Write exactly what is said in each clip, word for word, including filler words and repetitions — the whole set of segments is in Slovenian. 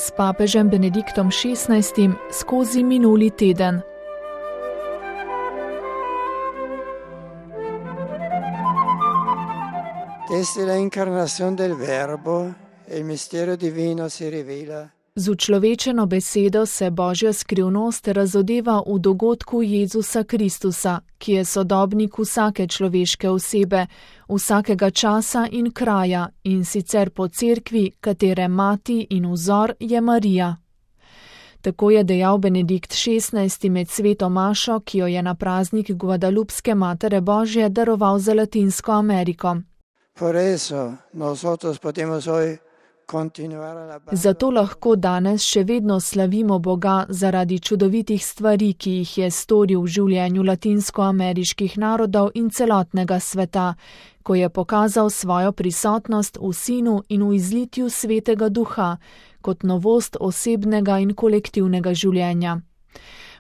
s papežem Benediktom šestnajstim skozi minuli teden. Desde la incarnación del Verbo, el misterio divino se revela. Z učlovečeno besedo se Božja skrivnost razodeva v dogodku Jezusa Kristusa, ki je sodobnik vsake človeške osebe, vsakega časa in kraja, in sicer po cerkvi, katere mati in vzor je Marija. Tako je dejal Benedikt šestnajsti med sveto mašo, ki jo je na praznik Guadalupske Matere Božje daroval za Latinsko Ameriko. Por eso nosotros podemos hoy Zato lahko danes še vedno slavimo Boga zaradi čudovitih stvari, ki jih je storil v življenju latinskoameriških narodov in celotnega sveta, ko je pokazal svojo prisotnost v Sinu in v izlitju Svetega Duha, kot novost osebnega in kolektivnega življenja.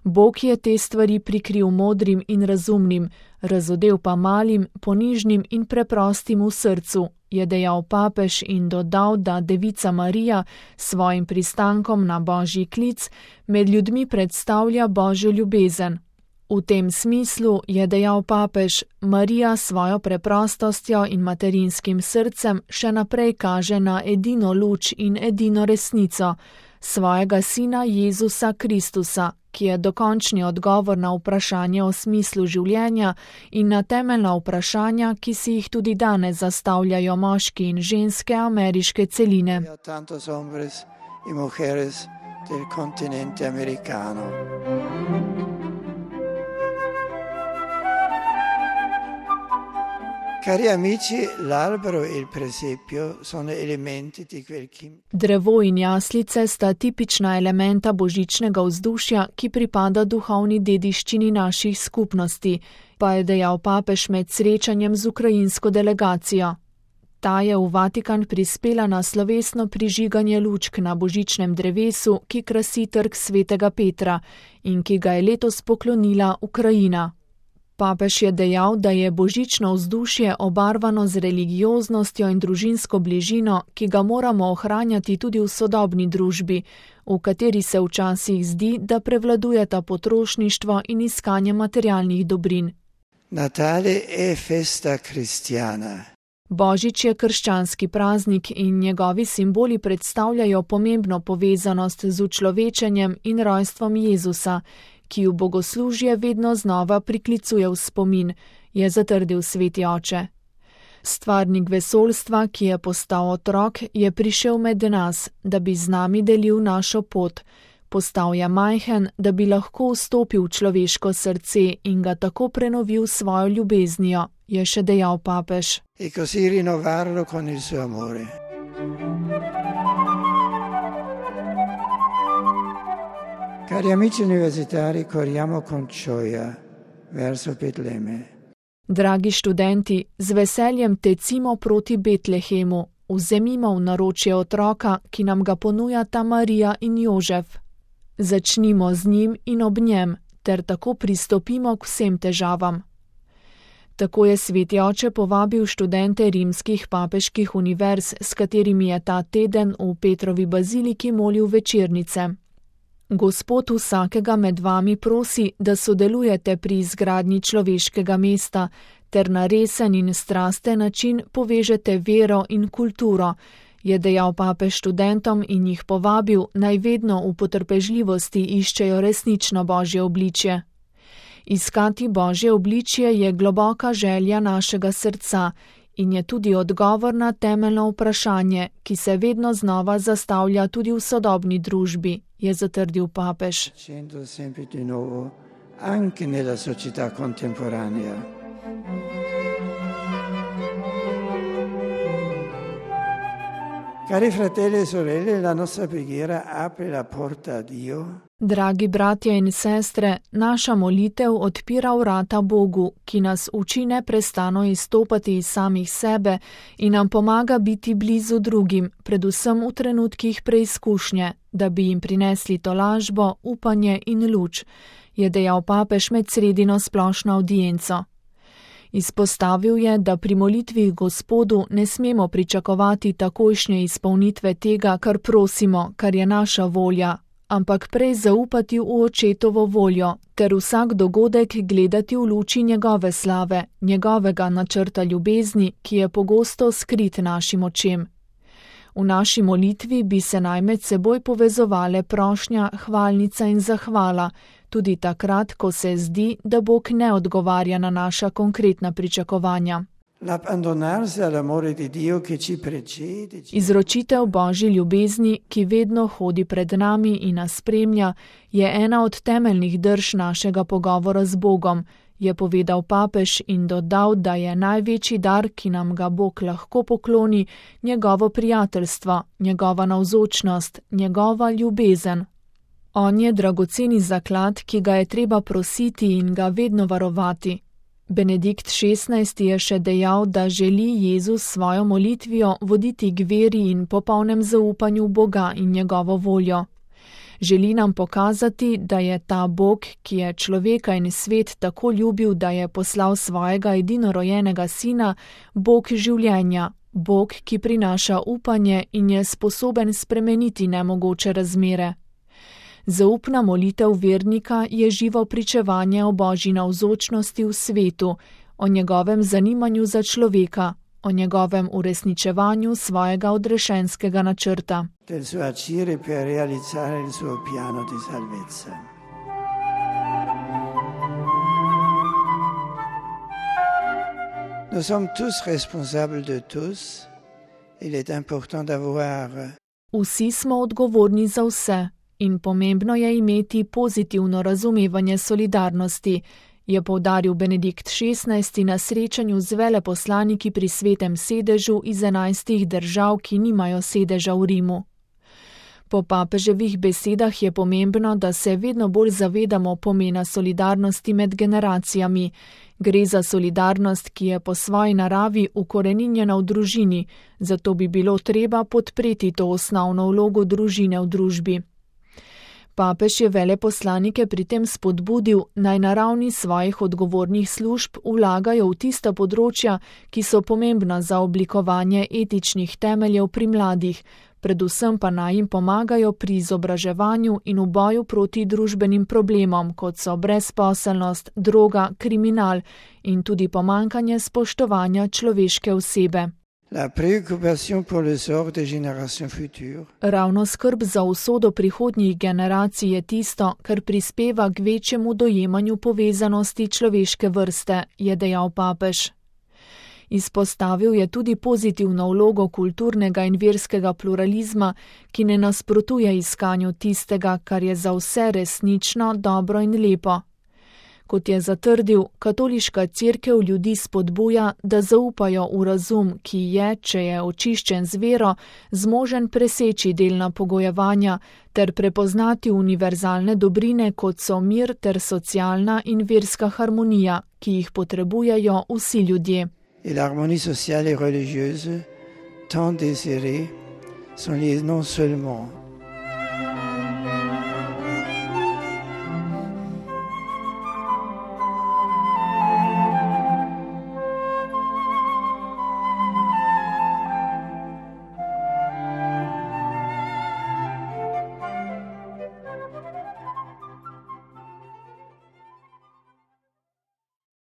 Bog je te stvari prikril modrim in razumnim, razodel pa malim, ponižnim in preprostim v srcu, je dejal papež in dodal, da Devica Marija s svojim pristankom na Božji klic med ljudmi predstavlja Božjo ljubezen. V tem smislu, je dejal papež, Marija s svojo preprostostjo in materinskim srcem še naprej kaže na edino luč in edino resnico, svojega sina Jezusa Kristusa, ki je dokončni odgovor na vprašanje o smislu življenja in na temeljna vprašanja, ki si jih tudi danes zastavljajo moški in ženske ameriške celine. Cari amici, l'albero e il presepio sono elementi di quel kim... Drevo in jaslice sta tipična elementa božičnega vzdušja, ki pripada duhovni dediščini naših skupnosti, pa je dejal papež med srečanjem z ukrajinsko delegacijo. Ta je v Vatikan prispela na slovesno prižiganje lučk na božičnem drevesu, ki krasi trg Svetega Petra in ki ga je letos poklonila Ukrajina. Papež je dejal, da je božično vzdušje obarvano z religioznostjo in družinsko bližino, ki ga moramo ohranjati tudi v sodobni družbi, v kateri se včasih zdi, da prevladujeta potrošništvo in iskanje materialnih dobrin. Natale è festa cristiana. Božič je krščanski praznik in njegovi simboli predstavljajo pomembno povezanost z učlovečenjem in rojstvom Jezusa, ki v bogoslužje vedno znova priklicuje v spomin, je zatrdil sveti oče. Stvarnik vesoljstva, ki je postal otrok, je prišel med nas, da bi z nami delil našo pot. Postal je majhen, da bi lahko vstopil v človeško srce in ga tako prenovil svojo ljubeznijo, je še dejal papež. E così rinnovarlo con il suo amore. Cari amici universitari, corriamo con gioia verso Betlemme. Dragi študenti, z veseljem tecimo proti Betlehemu, vzemimo v naročje otroka, ki nam ga ponujata Marija in Jožef. Začnimo z njim in ob njem, ter tako pristopimo k vsem težavam. Tako je sveti oče povabil študente rimskih papeških univerz, s katerimi je ta teden v Petrovi baziliki molil večernice. Gospod vsakega med vami prosi, da sodelujete pri izgradnji človeškega mesta, ter na resen in strasten način povežete vero in kulturo, je dejal papež študentom in jih povabil, naj vedno v potrpežljivosti iščejo resnično Božje obličje. Iskati Božje obličje je globoka želja našega srca in je tudi odgovor na temeljno vprašanje, ki se vedno znova zastavlja tudi v sodobni družbi, je zatrdil papež. Cari fratelli e sorelle, la nostra preghiera apre la porta a Dio. Dragi bratje in sestre, naša molitev odpira vrata Bogu, ki nas uči neprestano izstopati iz samih sebe in nam pomaga biti blizu drugim, predvsem v trenutkih preizkušnje, da bi jim prinesli tolažbo, upanje in luč, je dejal papež med sredino splošno avdienco. Izpostavil je, da pri molitvi Gospodu ne smemo pričakovati takojšnje izpolnitve tega, kar prosimo, kar je naša volja, ampak prej zaupati v Očetovo voljo, ter vsak dogodek gledati v luči njegove slave, njegovega načrta ljubezni, ki je pogosto skrit našim očem. V naši molitvi bi se naj med seboj povezovale prošnja, hvalnica in zahvala, tudi takrat, ko se zdi, da Bog ne odgovarja na naša konkretna pričakovanja. Izročitev Božji ljubezni, ki vedno hodi pred nami in nas spremlja, je ena od temeljnih drž našega pogovora z Bogom, je povedal papež in dodal, da je največji dar, ki nam ga Bog lahko pokloni, njegovo prijateljstvo, njegova navzočnost, njegova ljubezen. On je dragoceni zaklad, ki ga je treba prositi in ga vedno varovati. Benedikt šestnajsti je še dejal, da želi Jezus svojo molitvijo voditi k veri in popolnem zaupanju v Boga in njegovo voljo. Želi nam pokazati, da je ta Bog, ki je človeka in svet tako ljubil, da je poslal svojega edinorojenega sina, Bog življenja, Bog, ki prinaša upanje in je sposoben spremeniti nemogoče razmere. Zaupna molitev vernika je živo pričevanje o Božji navzočnosti v svetu, o njegovem zanimanju za človeka, o njegovem uresničevanju svojega odrešenskega načrta. Del suo agire per realizzare il suo piano di salvezza. Nous sommes tous responsables de tous. Il est important d'avoir. Vsi smo odgovorni za vse in pomembno je imeti pozitivno razumevanje solidarnosti, je poudaril Benedikt šestnajsti na srečanju z veleposlaniki pri Svetem sedežu iz enajstih držav, ki nimajo sedeža v Rimu. Po papeževih besedah je pomembno, da se vedno bolj zavedamo pomena solidarnosti med generacijami. Gre za solidarnost, ki je po svoji naravi ukoreninjena v družini, zato bi bilo treba podpreti to osnovno vlogo družine v družbi. Papež je veleposlanike pri tem spodbudil, naj na ravni svojih odgovornih služb vlagajo v tista področja, ki so pomembna za oblikovanje etičnih temeljev pri mladih, predvsem pa naj jim pomagajo pri izobraževanju in v boju proti družbenim problemom, kot so brezposelnost, droga, kriminal in tudi pomanjkanje spoštovanja človeške osebe. La préoccupation pour le sort des générations futures. Ravno skrb za usodo prihodnjih generacij je tisto, kar prispeva k večjemu dojemanju povezanosti človeške vrste, je dejal papež. Izpostavil je tudi pozitivno vlogo kulturnega in verskega pluralizma, ki ne nasprotuje iskanju tistega, kar je za vse resnično, dobro in lepo. Kot je zatrdil, katoliška cerkev ljudi spodbuja, da zaupajo v razum, ki je, če je očiščen z vero, zmožen preseči delna pogojevanja ter prepoznati univerzalne dobrine, kot so mir ter socialna in verska harmonija, ki jih potrebujejo vsi ljudje. Et l'harmonie sociale et religieuse, tant désirée, sont liées non seulement